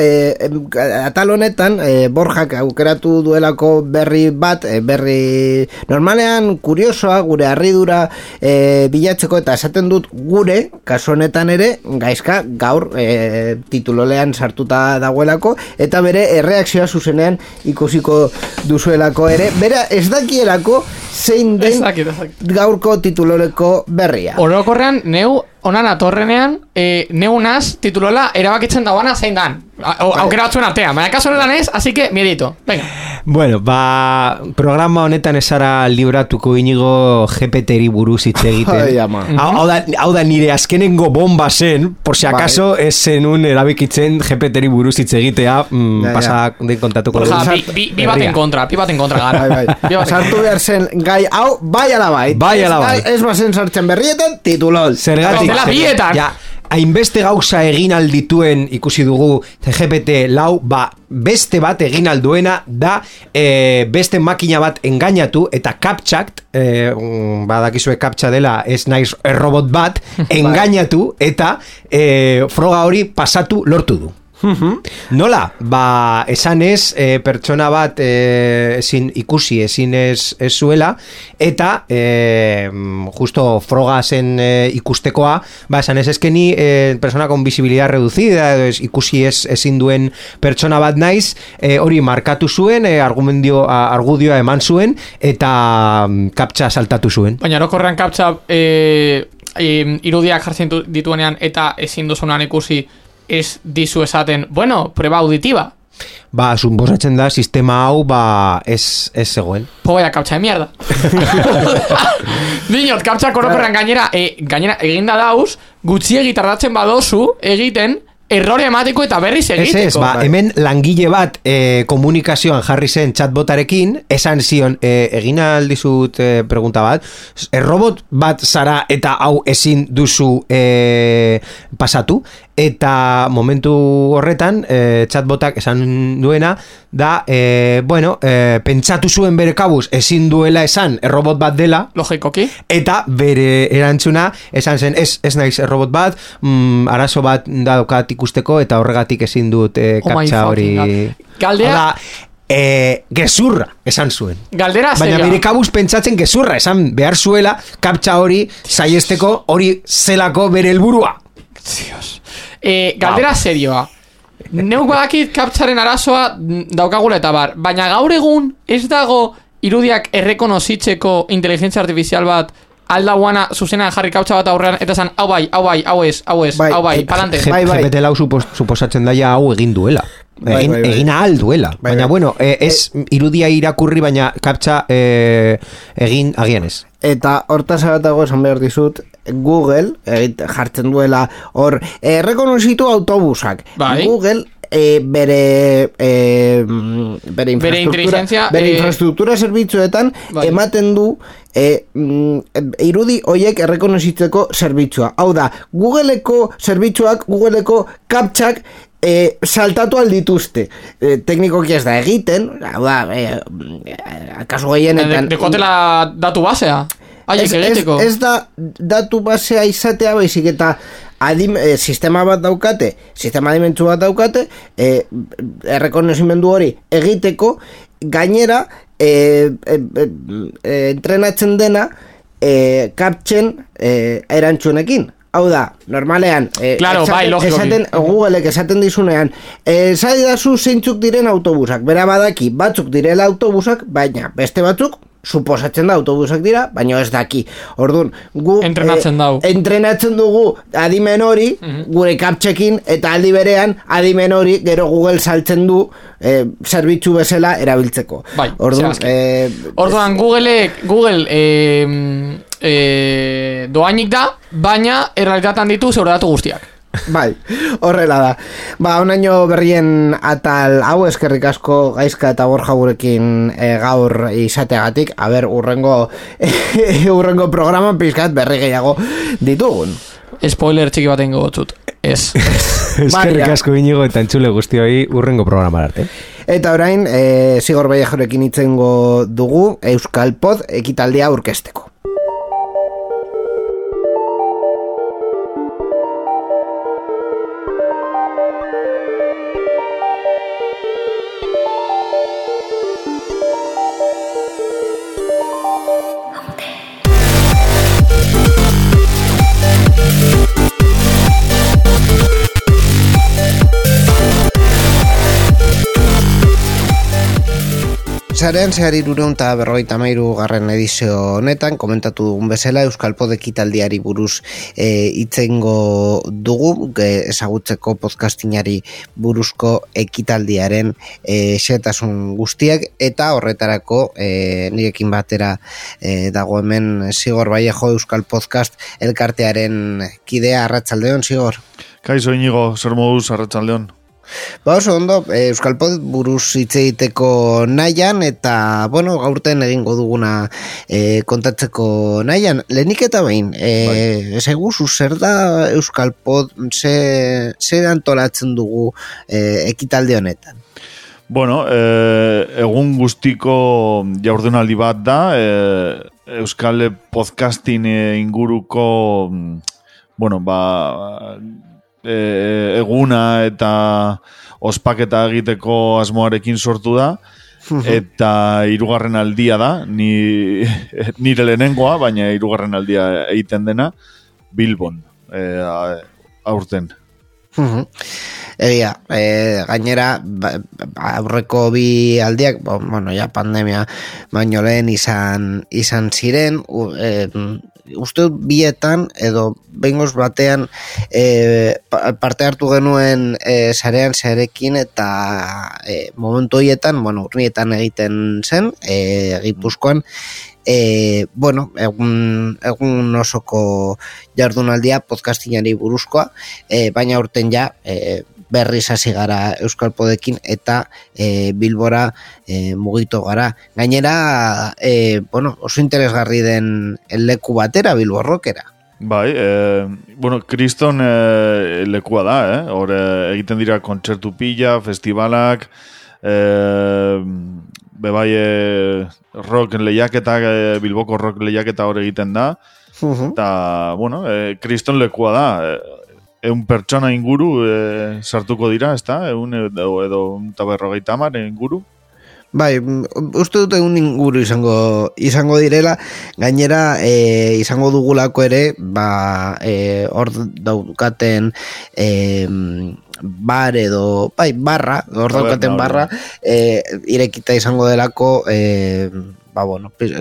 atal honetan Borjak aukeratu duelako berri bat, berri normalean kuriosoa, gure harridura bilatzeko, eta esaten dut gure, kasu honetan ere, gaizka gaur titulolean sartuta dagoelako, eta bere erreakzioa zuzenean ikusiko duzuelako ere, bera ez dakielako zein den gaurko tituloleko berria. Orokorrean, neu onan atorrenean, neunaz titulola erabakitzen dagoana zein dan. Aukera batzuen artean, baina kaso honetan ez, así que miedito. Venga. Bueno, programa honetan esara libratuko inigo GPT-ri buruz hitz egiten. Hau da nire azkenengo bomba zen, por si acaso ez zenun erabikitzen GPT-ri buruz hitz egitea, pasak den kontatuko. Bi baten kontra gara. Sartu behar zen gai hau, bai alabait. Ez bazen sartzen berrietan, titulol. Zergatik. Ja, hainbeste gauza egin aldituen ikusi dugu GPT-4, beste bat egin alduena da beste makina bat engainatu eta kaptxakt, badakizue kaptxa dela ez naiz robot bat, engainatu eta froga hori pasatu lortu du. Nola? Esan ez pertsona bat ezin ikusi, ezin ez zuela, eta justo froga zen ikustekoa, esan ez ezkeni persona con visibilidad reducida, ikusi ezin duen pertsona bat naiz, hori markatu zuen, argudioa eman zuen, eta kaptxa saltatu zuen. Baina orokorrean kaptxa irudiak jartzen dituenean eta ezin duzunan ikusi, ez dizu esaten, prueba auditiva. Suposatzen da, sistema hau, ez zegoen. Vaya kaptxa de mierda. Dinot, kaptxa korokorrean gainera eginda dauz, gutxiegi tardatzen badozu egiten, errore emateko eta berriz egiteko. Hemen langile bat komunikazioan jarri zen chatbotarekin, esan zion, egin aldizut pregunta bat, robot bat zara eta hau ezin duzu pasatu, eta momentu horretan chatbotak esan duena da, pentsatu zuen bere kabuz ezin duela esan robot bat dela, logikoki, eta bere erantzuna esan zen ez naiz robot bat, arazo bat daukat ikusteko eta horregatik ezin dut kaptxa hori. Galdera gezurra esan zuen. Galdera baina bere kabuz pentsatzen gezurra esan behar zuela kaptxa hori saiesteko hori zelako bere helburua. Dios. Galdera serioa. Neuk badakit kaptxaren arazoa daukagula eta bar, baina gaur egun ez dago irudiak errekonozitzeko inteligentzia artifizial bat aldauana zuzenan jarri kaptxa bat aurrean eta zan, hau bai, palante. GPT lau suposatzen daia hau egin duela. Egin ahal duela. Baina bueno, ez irudia irakurri baina kaptxa egin agian ez. Eta hortaz abatago esan behar dizut, Google jartzen duela hor rekonozitu autobusak. Google bere infrastruktura zerbitzuetan ematen du irudi hoiek errekonozitzeko zerbitzua. Hau da, Googleeko zerbitzuak, Googleeko kaptxak saltatu aldituzte. Teknikoki ez da egiten, hau da, kasu gehienetan dekotela datu basea. Ez da datu basea izatea, baizik eta sistema bat daukate, sistema adimentsu bat daukate, errekonozimendu hori egiteko, gainera entrenatzen dena kaptxen erantzunekin. Hau da, normalean Googleek esaten dizunean zaidazu zeintzuk diren autobusak, bera badaki batzuk direla autobusak, baina beste batzuk suposatzen da autobusak dira, baina ez daki. Orduan, entrenatzen dugu adimen hori gure kaptxekin, eta aldi berean adimen hori gero Google saltzen du zerbitzu bezala erabiltzeko. Orduan, Google doainik da, baina errealitatean ditu zeure datu guztiak. Bai, horrela da. Onaino berrien atal hau, eskerrik asko Gaizka eta Borja gurekin gaur izateagatik. Urrengo programan pizkat berri gehiago ditugun. Spoiler txiki baten gogotzut. Ez. Eskerrik asko Inigo eta entzule guztioi urrengo programa arte. Eta orain, Zigor Vallejorekin itzengo dugu Euskal Pod ekitaldia aurkezteko. Zarean zehar 353 garren edizio honetan, komentatu dugun bezala, Euskal Pod ekitaldiari buruz itzengo dugu, ezagutzeko podcastinari buruzko ekitaldiaren xetasun guztiak, eta horretarako nirekin batera dago hemen Zigor Vallejo Euskal Podcast elkartearen kidea. Arratsaldeon, Zigor. Kaixo Inigo, zer moduz, arratsaldeon. Oso ondo, Euskal Pod buruz hitz egiteko nahian, eta gaurten egingo duguna kontatzeko nahian. Lehenik eta behin, ezaguzu zer da Euskal Pod, zer antolatzen dugu ekitalde honetan? Egun guztiko jaurdunaldi bat da, Euskal Podcasting inguruko eguna eta ospaketa egiteko asmoarekin sortu da, eta 3. aldia da, nire lehenengoa, baina 3. aldia egiten dena Bilbon aurten. Egia, gainera aurreko bi aldiak, pandemia baino lehen izan ziren, uste dut bietan edo behingoz batean parte hartu genuen sarean zerekin, eta momentu horietan, urnietan egiten zen, Gipuzkoan, egun osoko jardunaldia podcastinari buruzkoa, baina urten ja berriz hasi gara Euskal Podekin eta Bilbora mugitu gara. Gainera, oso interesgarri den leku batera, Bilbo Rockera. Bai, bueno, kriston lekua da, hor egiten dira kontzertu pila, festivalak, bebai rock lehiaketak, Bilboko rock lehiaketa hor egiten da, eta, bueno, kriston lekua da, eun pertsona inguru sartuko dira, ez da, edo 150 inguru. Bai, uste dut egun inguru izango direla, gainera izango dugulako ere, hor daukaten bar edo, barra, hor daukaten barra, irekita izango delako,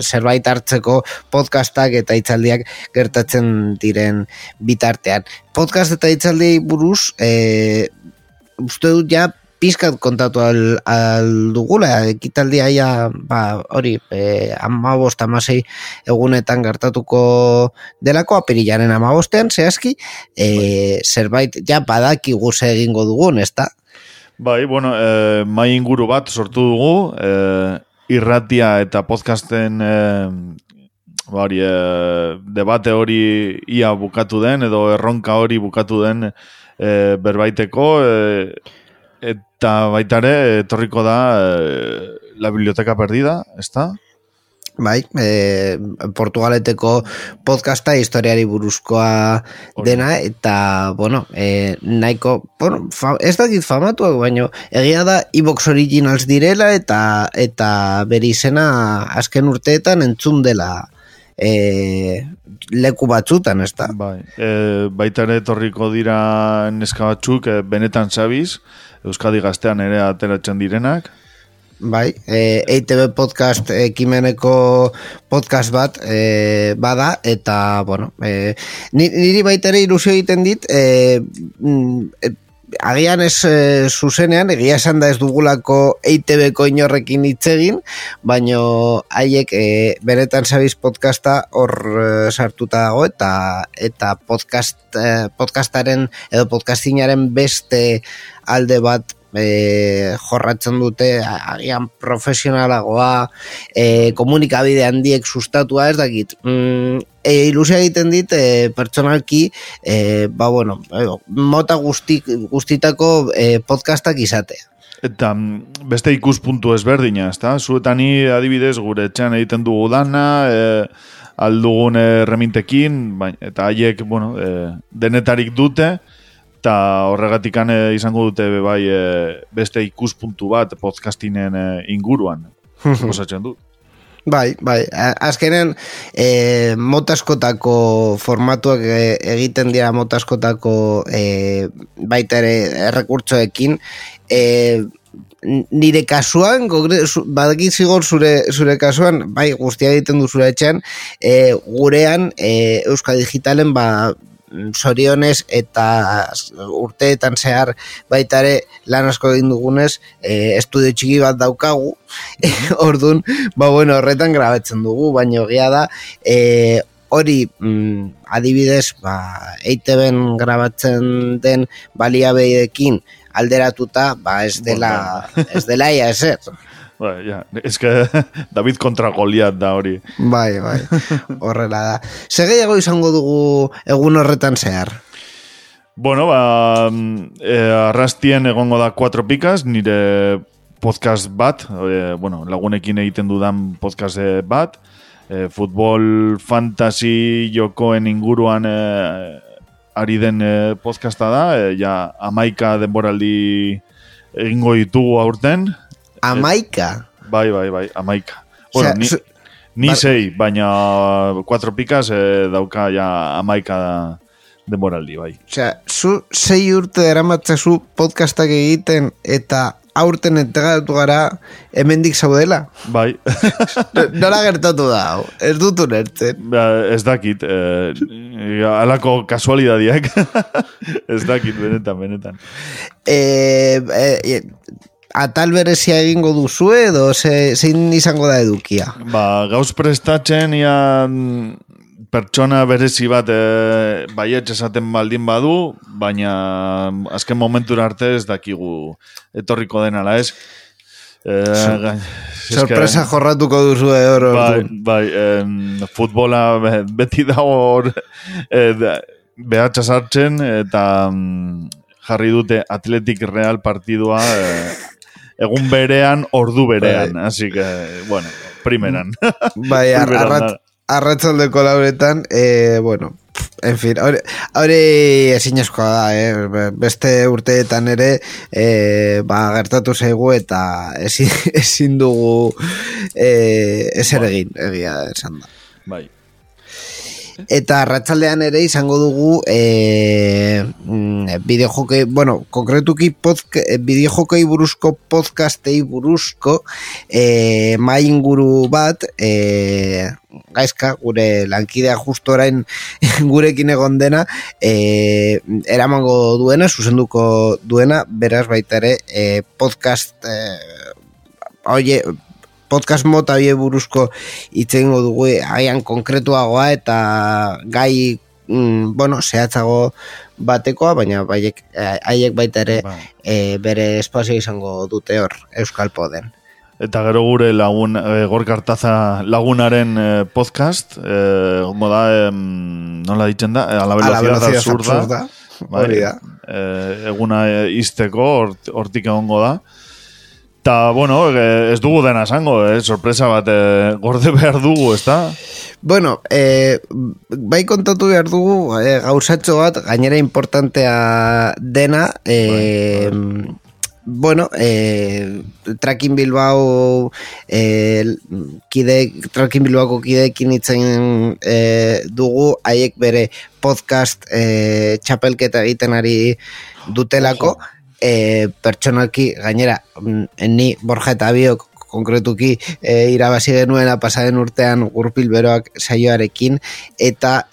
zerbait hartzeko podcastak eta hitzaldiak gertatzen diren bitartean. Podcast eta hitzaldiei buruz, uste dut ja, pizkat kontatu aldugula, ekitaldia ja, hori, 15-16 egunetan gertatuko delako, apirilaren 15ean, zehazki, zerbait, ja, badakigu ze egingo dugun, ez da? Bai, bueno, mai inguru bat sortu dugu, irratia eta podcasten debate hori ia bukatu den, edo erronka hori bukatu den berbaiteko, eta baitare etorriko da La Biblioteca Perdida, ezta? Bai, Portugaleteko podcasta historiari buruzkoa dena, eta, bueno, nahiko, bueno, ez dakit famatuak, baina egia da iVox Originals direla, eta bere izena azken urteetan entzun dela leku batzutan, ez da? Bai, baitare etorriko dira neska batzuk, benetan sabiz, Euskadi Gaztean ere ateratzen direnak. Bai, EITB podcast ekimeneko podcast bat bada, eta, bueno, niri baita ere ilusio egiten dit, agian ez zuzenean, egia esan da ez dugulako EITB-ko inorrekin hitz egin, baino haiek benetan sabiz podcasta hor sartuta dago, eta podcastaren edo podcastinaren beste alde bat jorratzen dute, agian profesionalagoa, komunikabide handiek sustatua, ez dakit, ilusia egiten dit pertsonalki, mota guztitako podcastak izatea. Eta beste ikuspuntu ezberdina, ezta? Zuetani adibidez gure etxean egiten dugu dana, aldugun remintekin, eta haiek, denetarik dute, eta horregatikan izango dute beste ikuspuntu bat podcastinen inguruan, osatzen dut. Bai, azkenen motaskotako formatuak egiten dira motaskotako baita ere errekurtsoekin, nire kasuan, badakit zigor zure kasuan, bai, guztia egiten du zure etxean, gurean Euskal Digitalen zorionez eta urteetan zehar baitare lan asko egin dugunez, estudio txiki bat daukagu, orduan, horretan grabatzen dugu, baina egia da, hori adibidez, EITB-en grabatzen den baliabideekin alderatuta, ez dela ia ezer. Ez que David kontra Goliat da hori. Bai, horrela da. Segeiago izango dugu egun horretan zehar? Bueno, arrastien egongo da 4 pikas, nire podcast bat, lagunekin egiten dudan podcast bat, futbol fantasy jokoen inguruan ari den podcasta da, 11 denboraldi egingo ditugu aurten. 11? Bai, 11. Bueno, ni 6, baina 4 pikas dauka 11 denboraldi, bai. Osea, zu 6 urte eramatzazu podcastak egiten eta aurten entregatu gara hemendik zaudela? Bai. Nola gertatu da, ez dut ulertzen. Ez dakit, alako kasualidadiak. Ez dakit, benetan. Atal berezia egingo duzu edo zein izango da edukia? Gauz prestatzen pertsona berezi bat baietz esaten baldin badu, baina azken momentura arte ez dakigu etorriko denala, ez? Sorpresa jorratuko duzu hor. Futbola beti dago hor behatxa sartzen eta jarri dute Athletic Real partidua egun berean, ordu berean. Así que, bueno, primeran. Bai, arratzaldeko lauretan, bueno, en fin, hori ezinezkoa da, beste urteetan ere, gertatu zaigu eta ezin dugu ezer egin, egia esan da. Bai. Eta arratsaldean ere izango dugu bideojokei, bueno, konkretuki bideojokei buruzko podcastei buruzko mai inguru bat, Gaizka, gure lankidea justo orain gurekin egon dena, eramango duena, zuzenduko duena, beraz baita ere podcast podcast mota bie buruzko itzengo dugu haian konkretuagoa eta gai zehatzago batekoa, baina haiek baita ere bere espazio izango dute hor Euskal Poden. Eta gero gure lagun Gorka Artaza lagunaren podcast moda nola ditzen da a la velocidad absurda. Hori da. Eguna izteko hortik egongo da. Eta, bueno, ez dugu dena esango, sorpresa bat gorde behar dugu, ez da? Bueno, bai kontatu behar dugu gauzatxo bat, gainera importantea dena, bueno, Tracking Bilbao Tracking Bilbaoko kideekin itzen dugu, haiek bere podcast txapelketa egiten ari dutelako, pertsonalki gainera ni Borja eta Biok konkretuki irabazi genuena pasaden urtean Gurpil Beroak saioarekin eta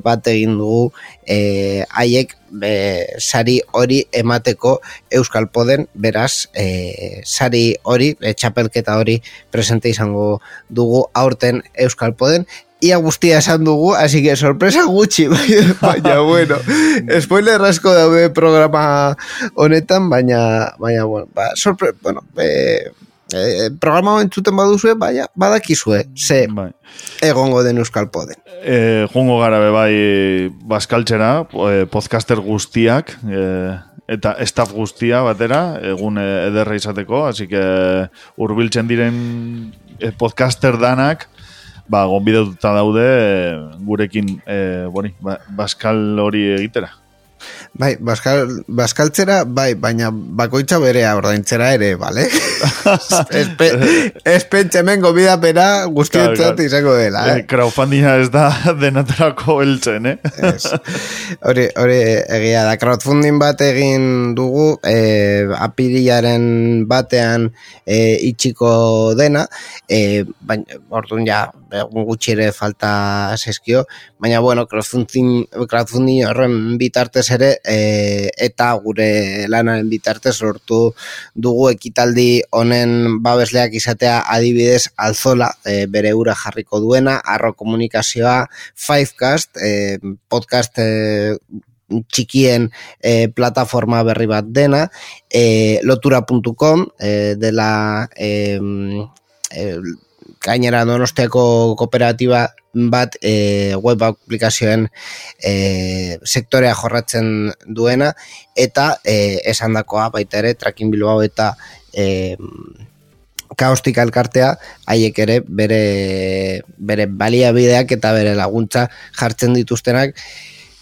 bat egin dugu haiek sari hori emateko Euskal Poden, beraz sari hori, txapelketa hori presente izango dugu aurten Euskal Poden. Ia guztia esan dugu, así que sorpresa gutxi, baina bueno, spoiler asko daude programa honetan, baina bueno, programa entzuten baduzue, badakizue, ze egongo den Euskal Poden. Jungo gara bai Baskaltzera, podcaster guztiak, eta staff guztia batera, egun ederra izateko, así que hurbiltzen diren podcaster danak, gonbidatuta daude gurekin Baskal hori egitera. Bai, Baskaltzera, baina bakoitza berea ordaintzera ere, bale? Ez pentsemen gobidapena guztientzat izango dela, Crowdfundinga ez da denatarako heltzen, Hori egia da, crowdfunding bat egin dugu, apirilaren batean itxiko dena, baina orduan ja, gutxi ere falta zezkio, baina bueno, crowdfunding horren bitartez ere, eta gure lanaren bitartez lortu dugu ekitaldi honen babesleak izatea adibidez Alzola, bere ura jarriko duena, Arro Komunikazioa, Fivecast, podcast txikien plataforma berri bat dena, lotura.com dela gainera Donostiako kooperatiba bat web aplikazioen sektorea jorratzen duena, eta esandakoa baita ere Tracking Bilbao eta Kaostika elkartea haiek ere bere baliabideak eta bere laguntza jartzen dituztenak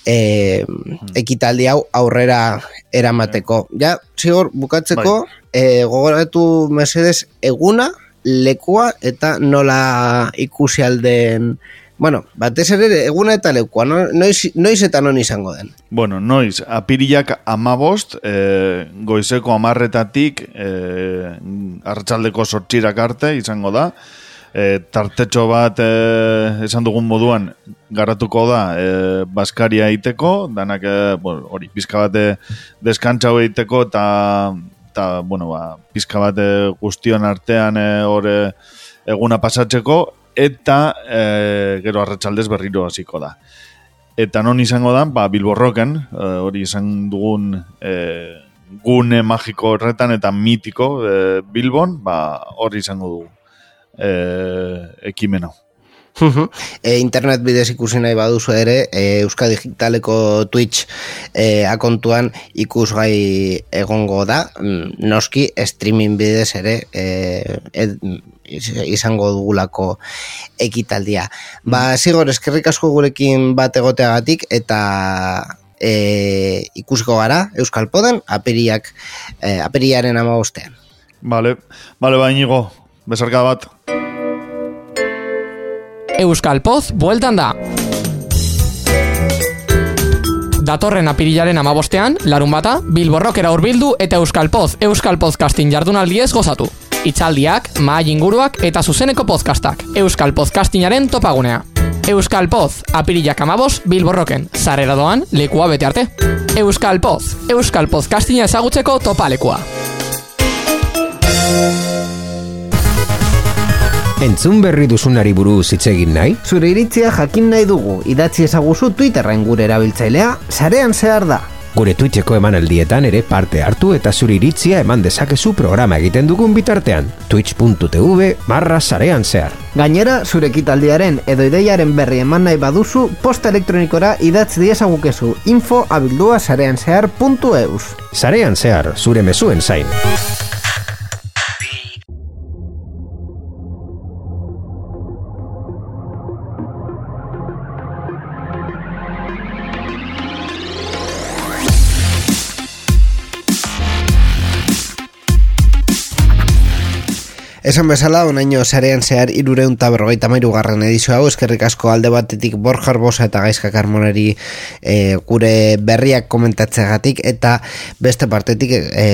ekitaldi hau aurrera eramateko. Ja, zigor, bukatzeko gogoratu mesedez eguna, lekua eta nola ikusi alden, bueno, batez ere eguna eta lekua, noiz eta non izango den? Bueno, noiz, apirilak 15, goizeko 10:00 arratsaldeko 8:00 arte izango da, tartetxo bat esan dugun moduan garatuko da Baskaria egiteko, danak hori pizka bat deskantza egiteko eta bueno, pizka bat guztion artean eguna pasatzeko, eta gero arratsaldez berriro hasiko da. Eta non izango da, Bilbo Rocken, hori izan dugun gune magiko horretan eta mitiko Bilbon, hori izango dugu. ekimena. Internet bidez ikusi nahi baduzu ere, Euskadi Digitaleko Twitch akontuan ikusgai egongo da, noski streaming bidez ere izango dugulako ekitaldia. Zigor, eskerrik asko gurekin bat egoteagatik eta ikusiko gara Euskal Poden apirilaren 15. Vale, Iñigo, besarka bat. Euskal Poz bueltan da. Datorren apirilaren 15ean, larun bata, Bilbo Rockera hurbildu eta Euskal Podcasting jardunaldiez gozatu. Itzaldiak, mahai inguruak eta zuzeneko podcastak. Euskal Podcastingaren topagunea. Euskal Poz, apirilak 15, Bilbo Rocken. Sarrera doan, lekua bete arte. Euskal Poz, Euskal Podcastinga ezagutzeko topalekua. Entzun berri duzunari buruz hitz egin nahi? Zure iritzia jakin nahi dugu, idatzi ezaguzu Twitterren gure erabiltzailea, sarean zehar da. Gure Twitcheko emanaldietan ere parte hartu eta zure iritzia eman dezakezu programa egiten dugun bitartean. twitch.tv/sarean zehar. Gainera, zure ekitaldiaren edo ideiaren berri eman nahi baduzu, posta elektronikora idatz diezagukezu info@sareanzehar.eus. Sarean zehar, zure mezuen zain. Esan bezala, onaino sarean zehar 353. edizio hau, eskerrik asko alde batetik Borja Arbosa eta Gaizka Carmoneri gure berriak komentatzeagatik, eta beste partetik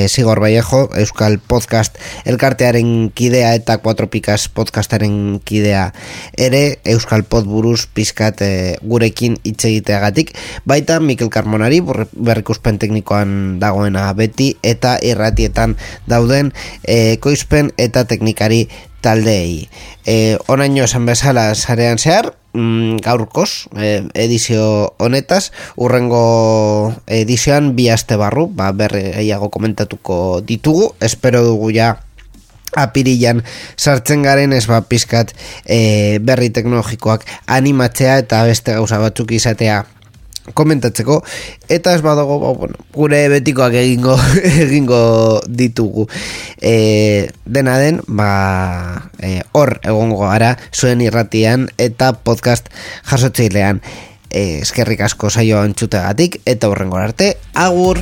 Zigor Vallejo, Euskal Podcast elkartearen kidea eta 4 Pikas podcastaren kidea ere, Euskal Pod buruz pizkat gurekin hitz egiteagatik, baita Mikel Carmonari berrikuspen teknikoan dagoena beti, eta irratietan dauden ekoizpen eta teknikari taldeei. Onaino esan bezala sarean zehar, gaurkoz edizio honetaz, urrengo edizioan 2 aste barru, berri gehiago komentatuko ditugu, espero dugu ja apirilan sartzen garen ez pizkat berri teknologikoak animatzea eta beste gauza batzuk izatea komentatzeko, eta ez badago gure betikoak egingo ditugu. Dena den, hor egongo gara zuen irratian eta podcast jasotzailean. Eskerrik asko saioa entzutegatik eta hurrengora arte, agur!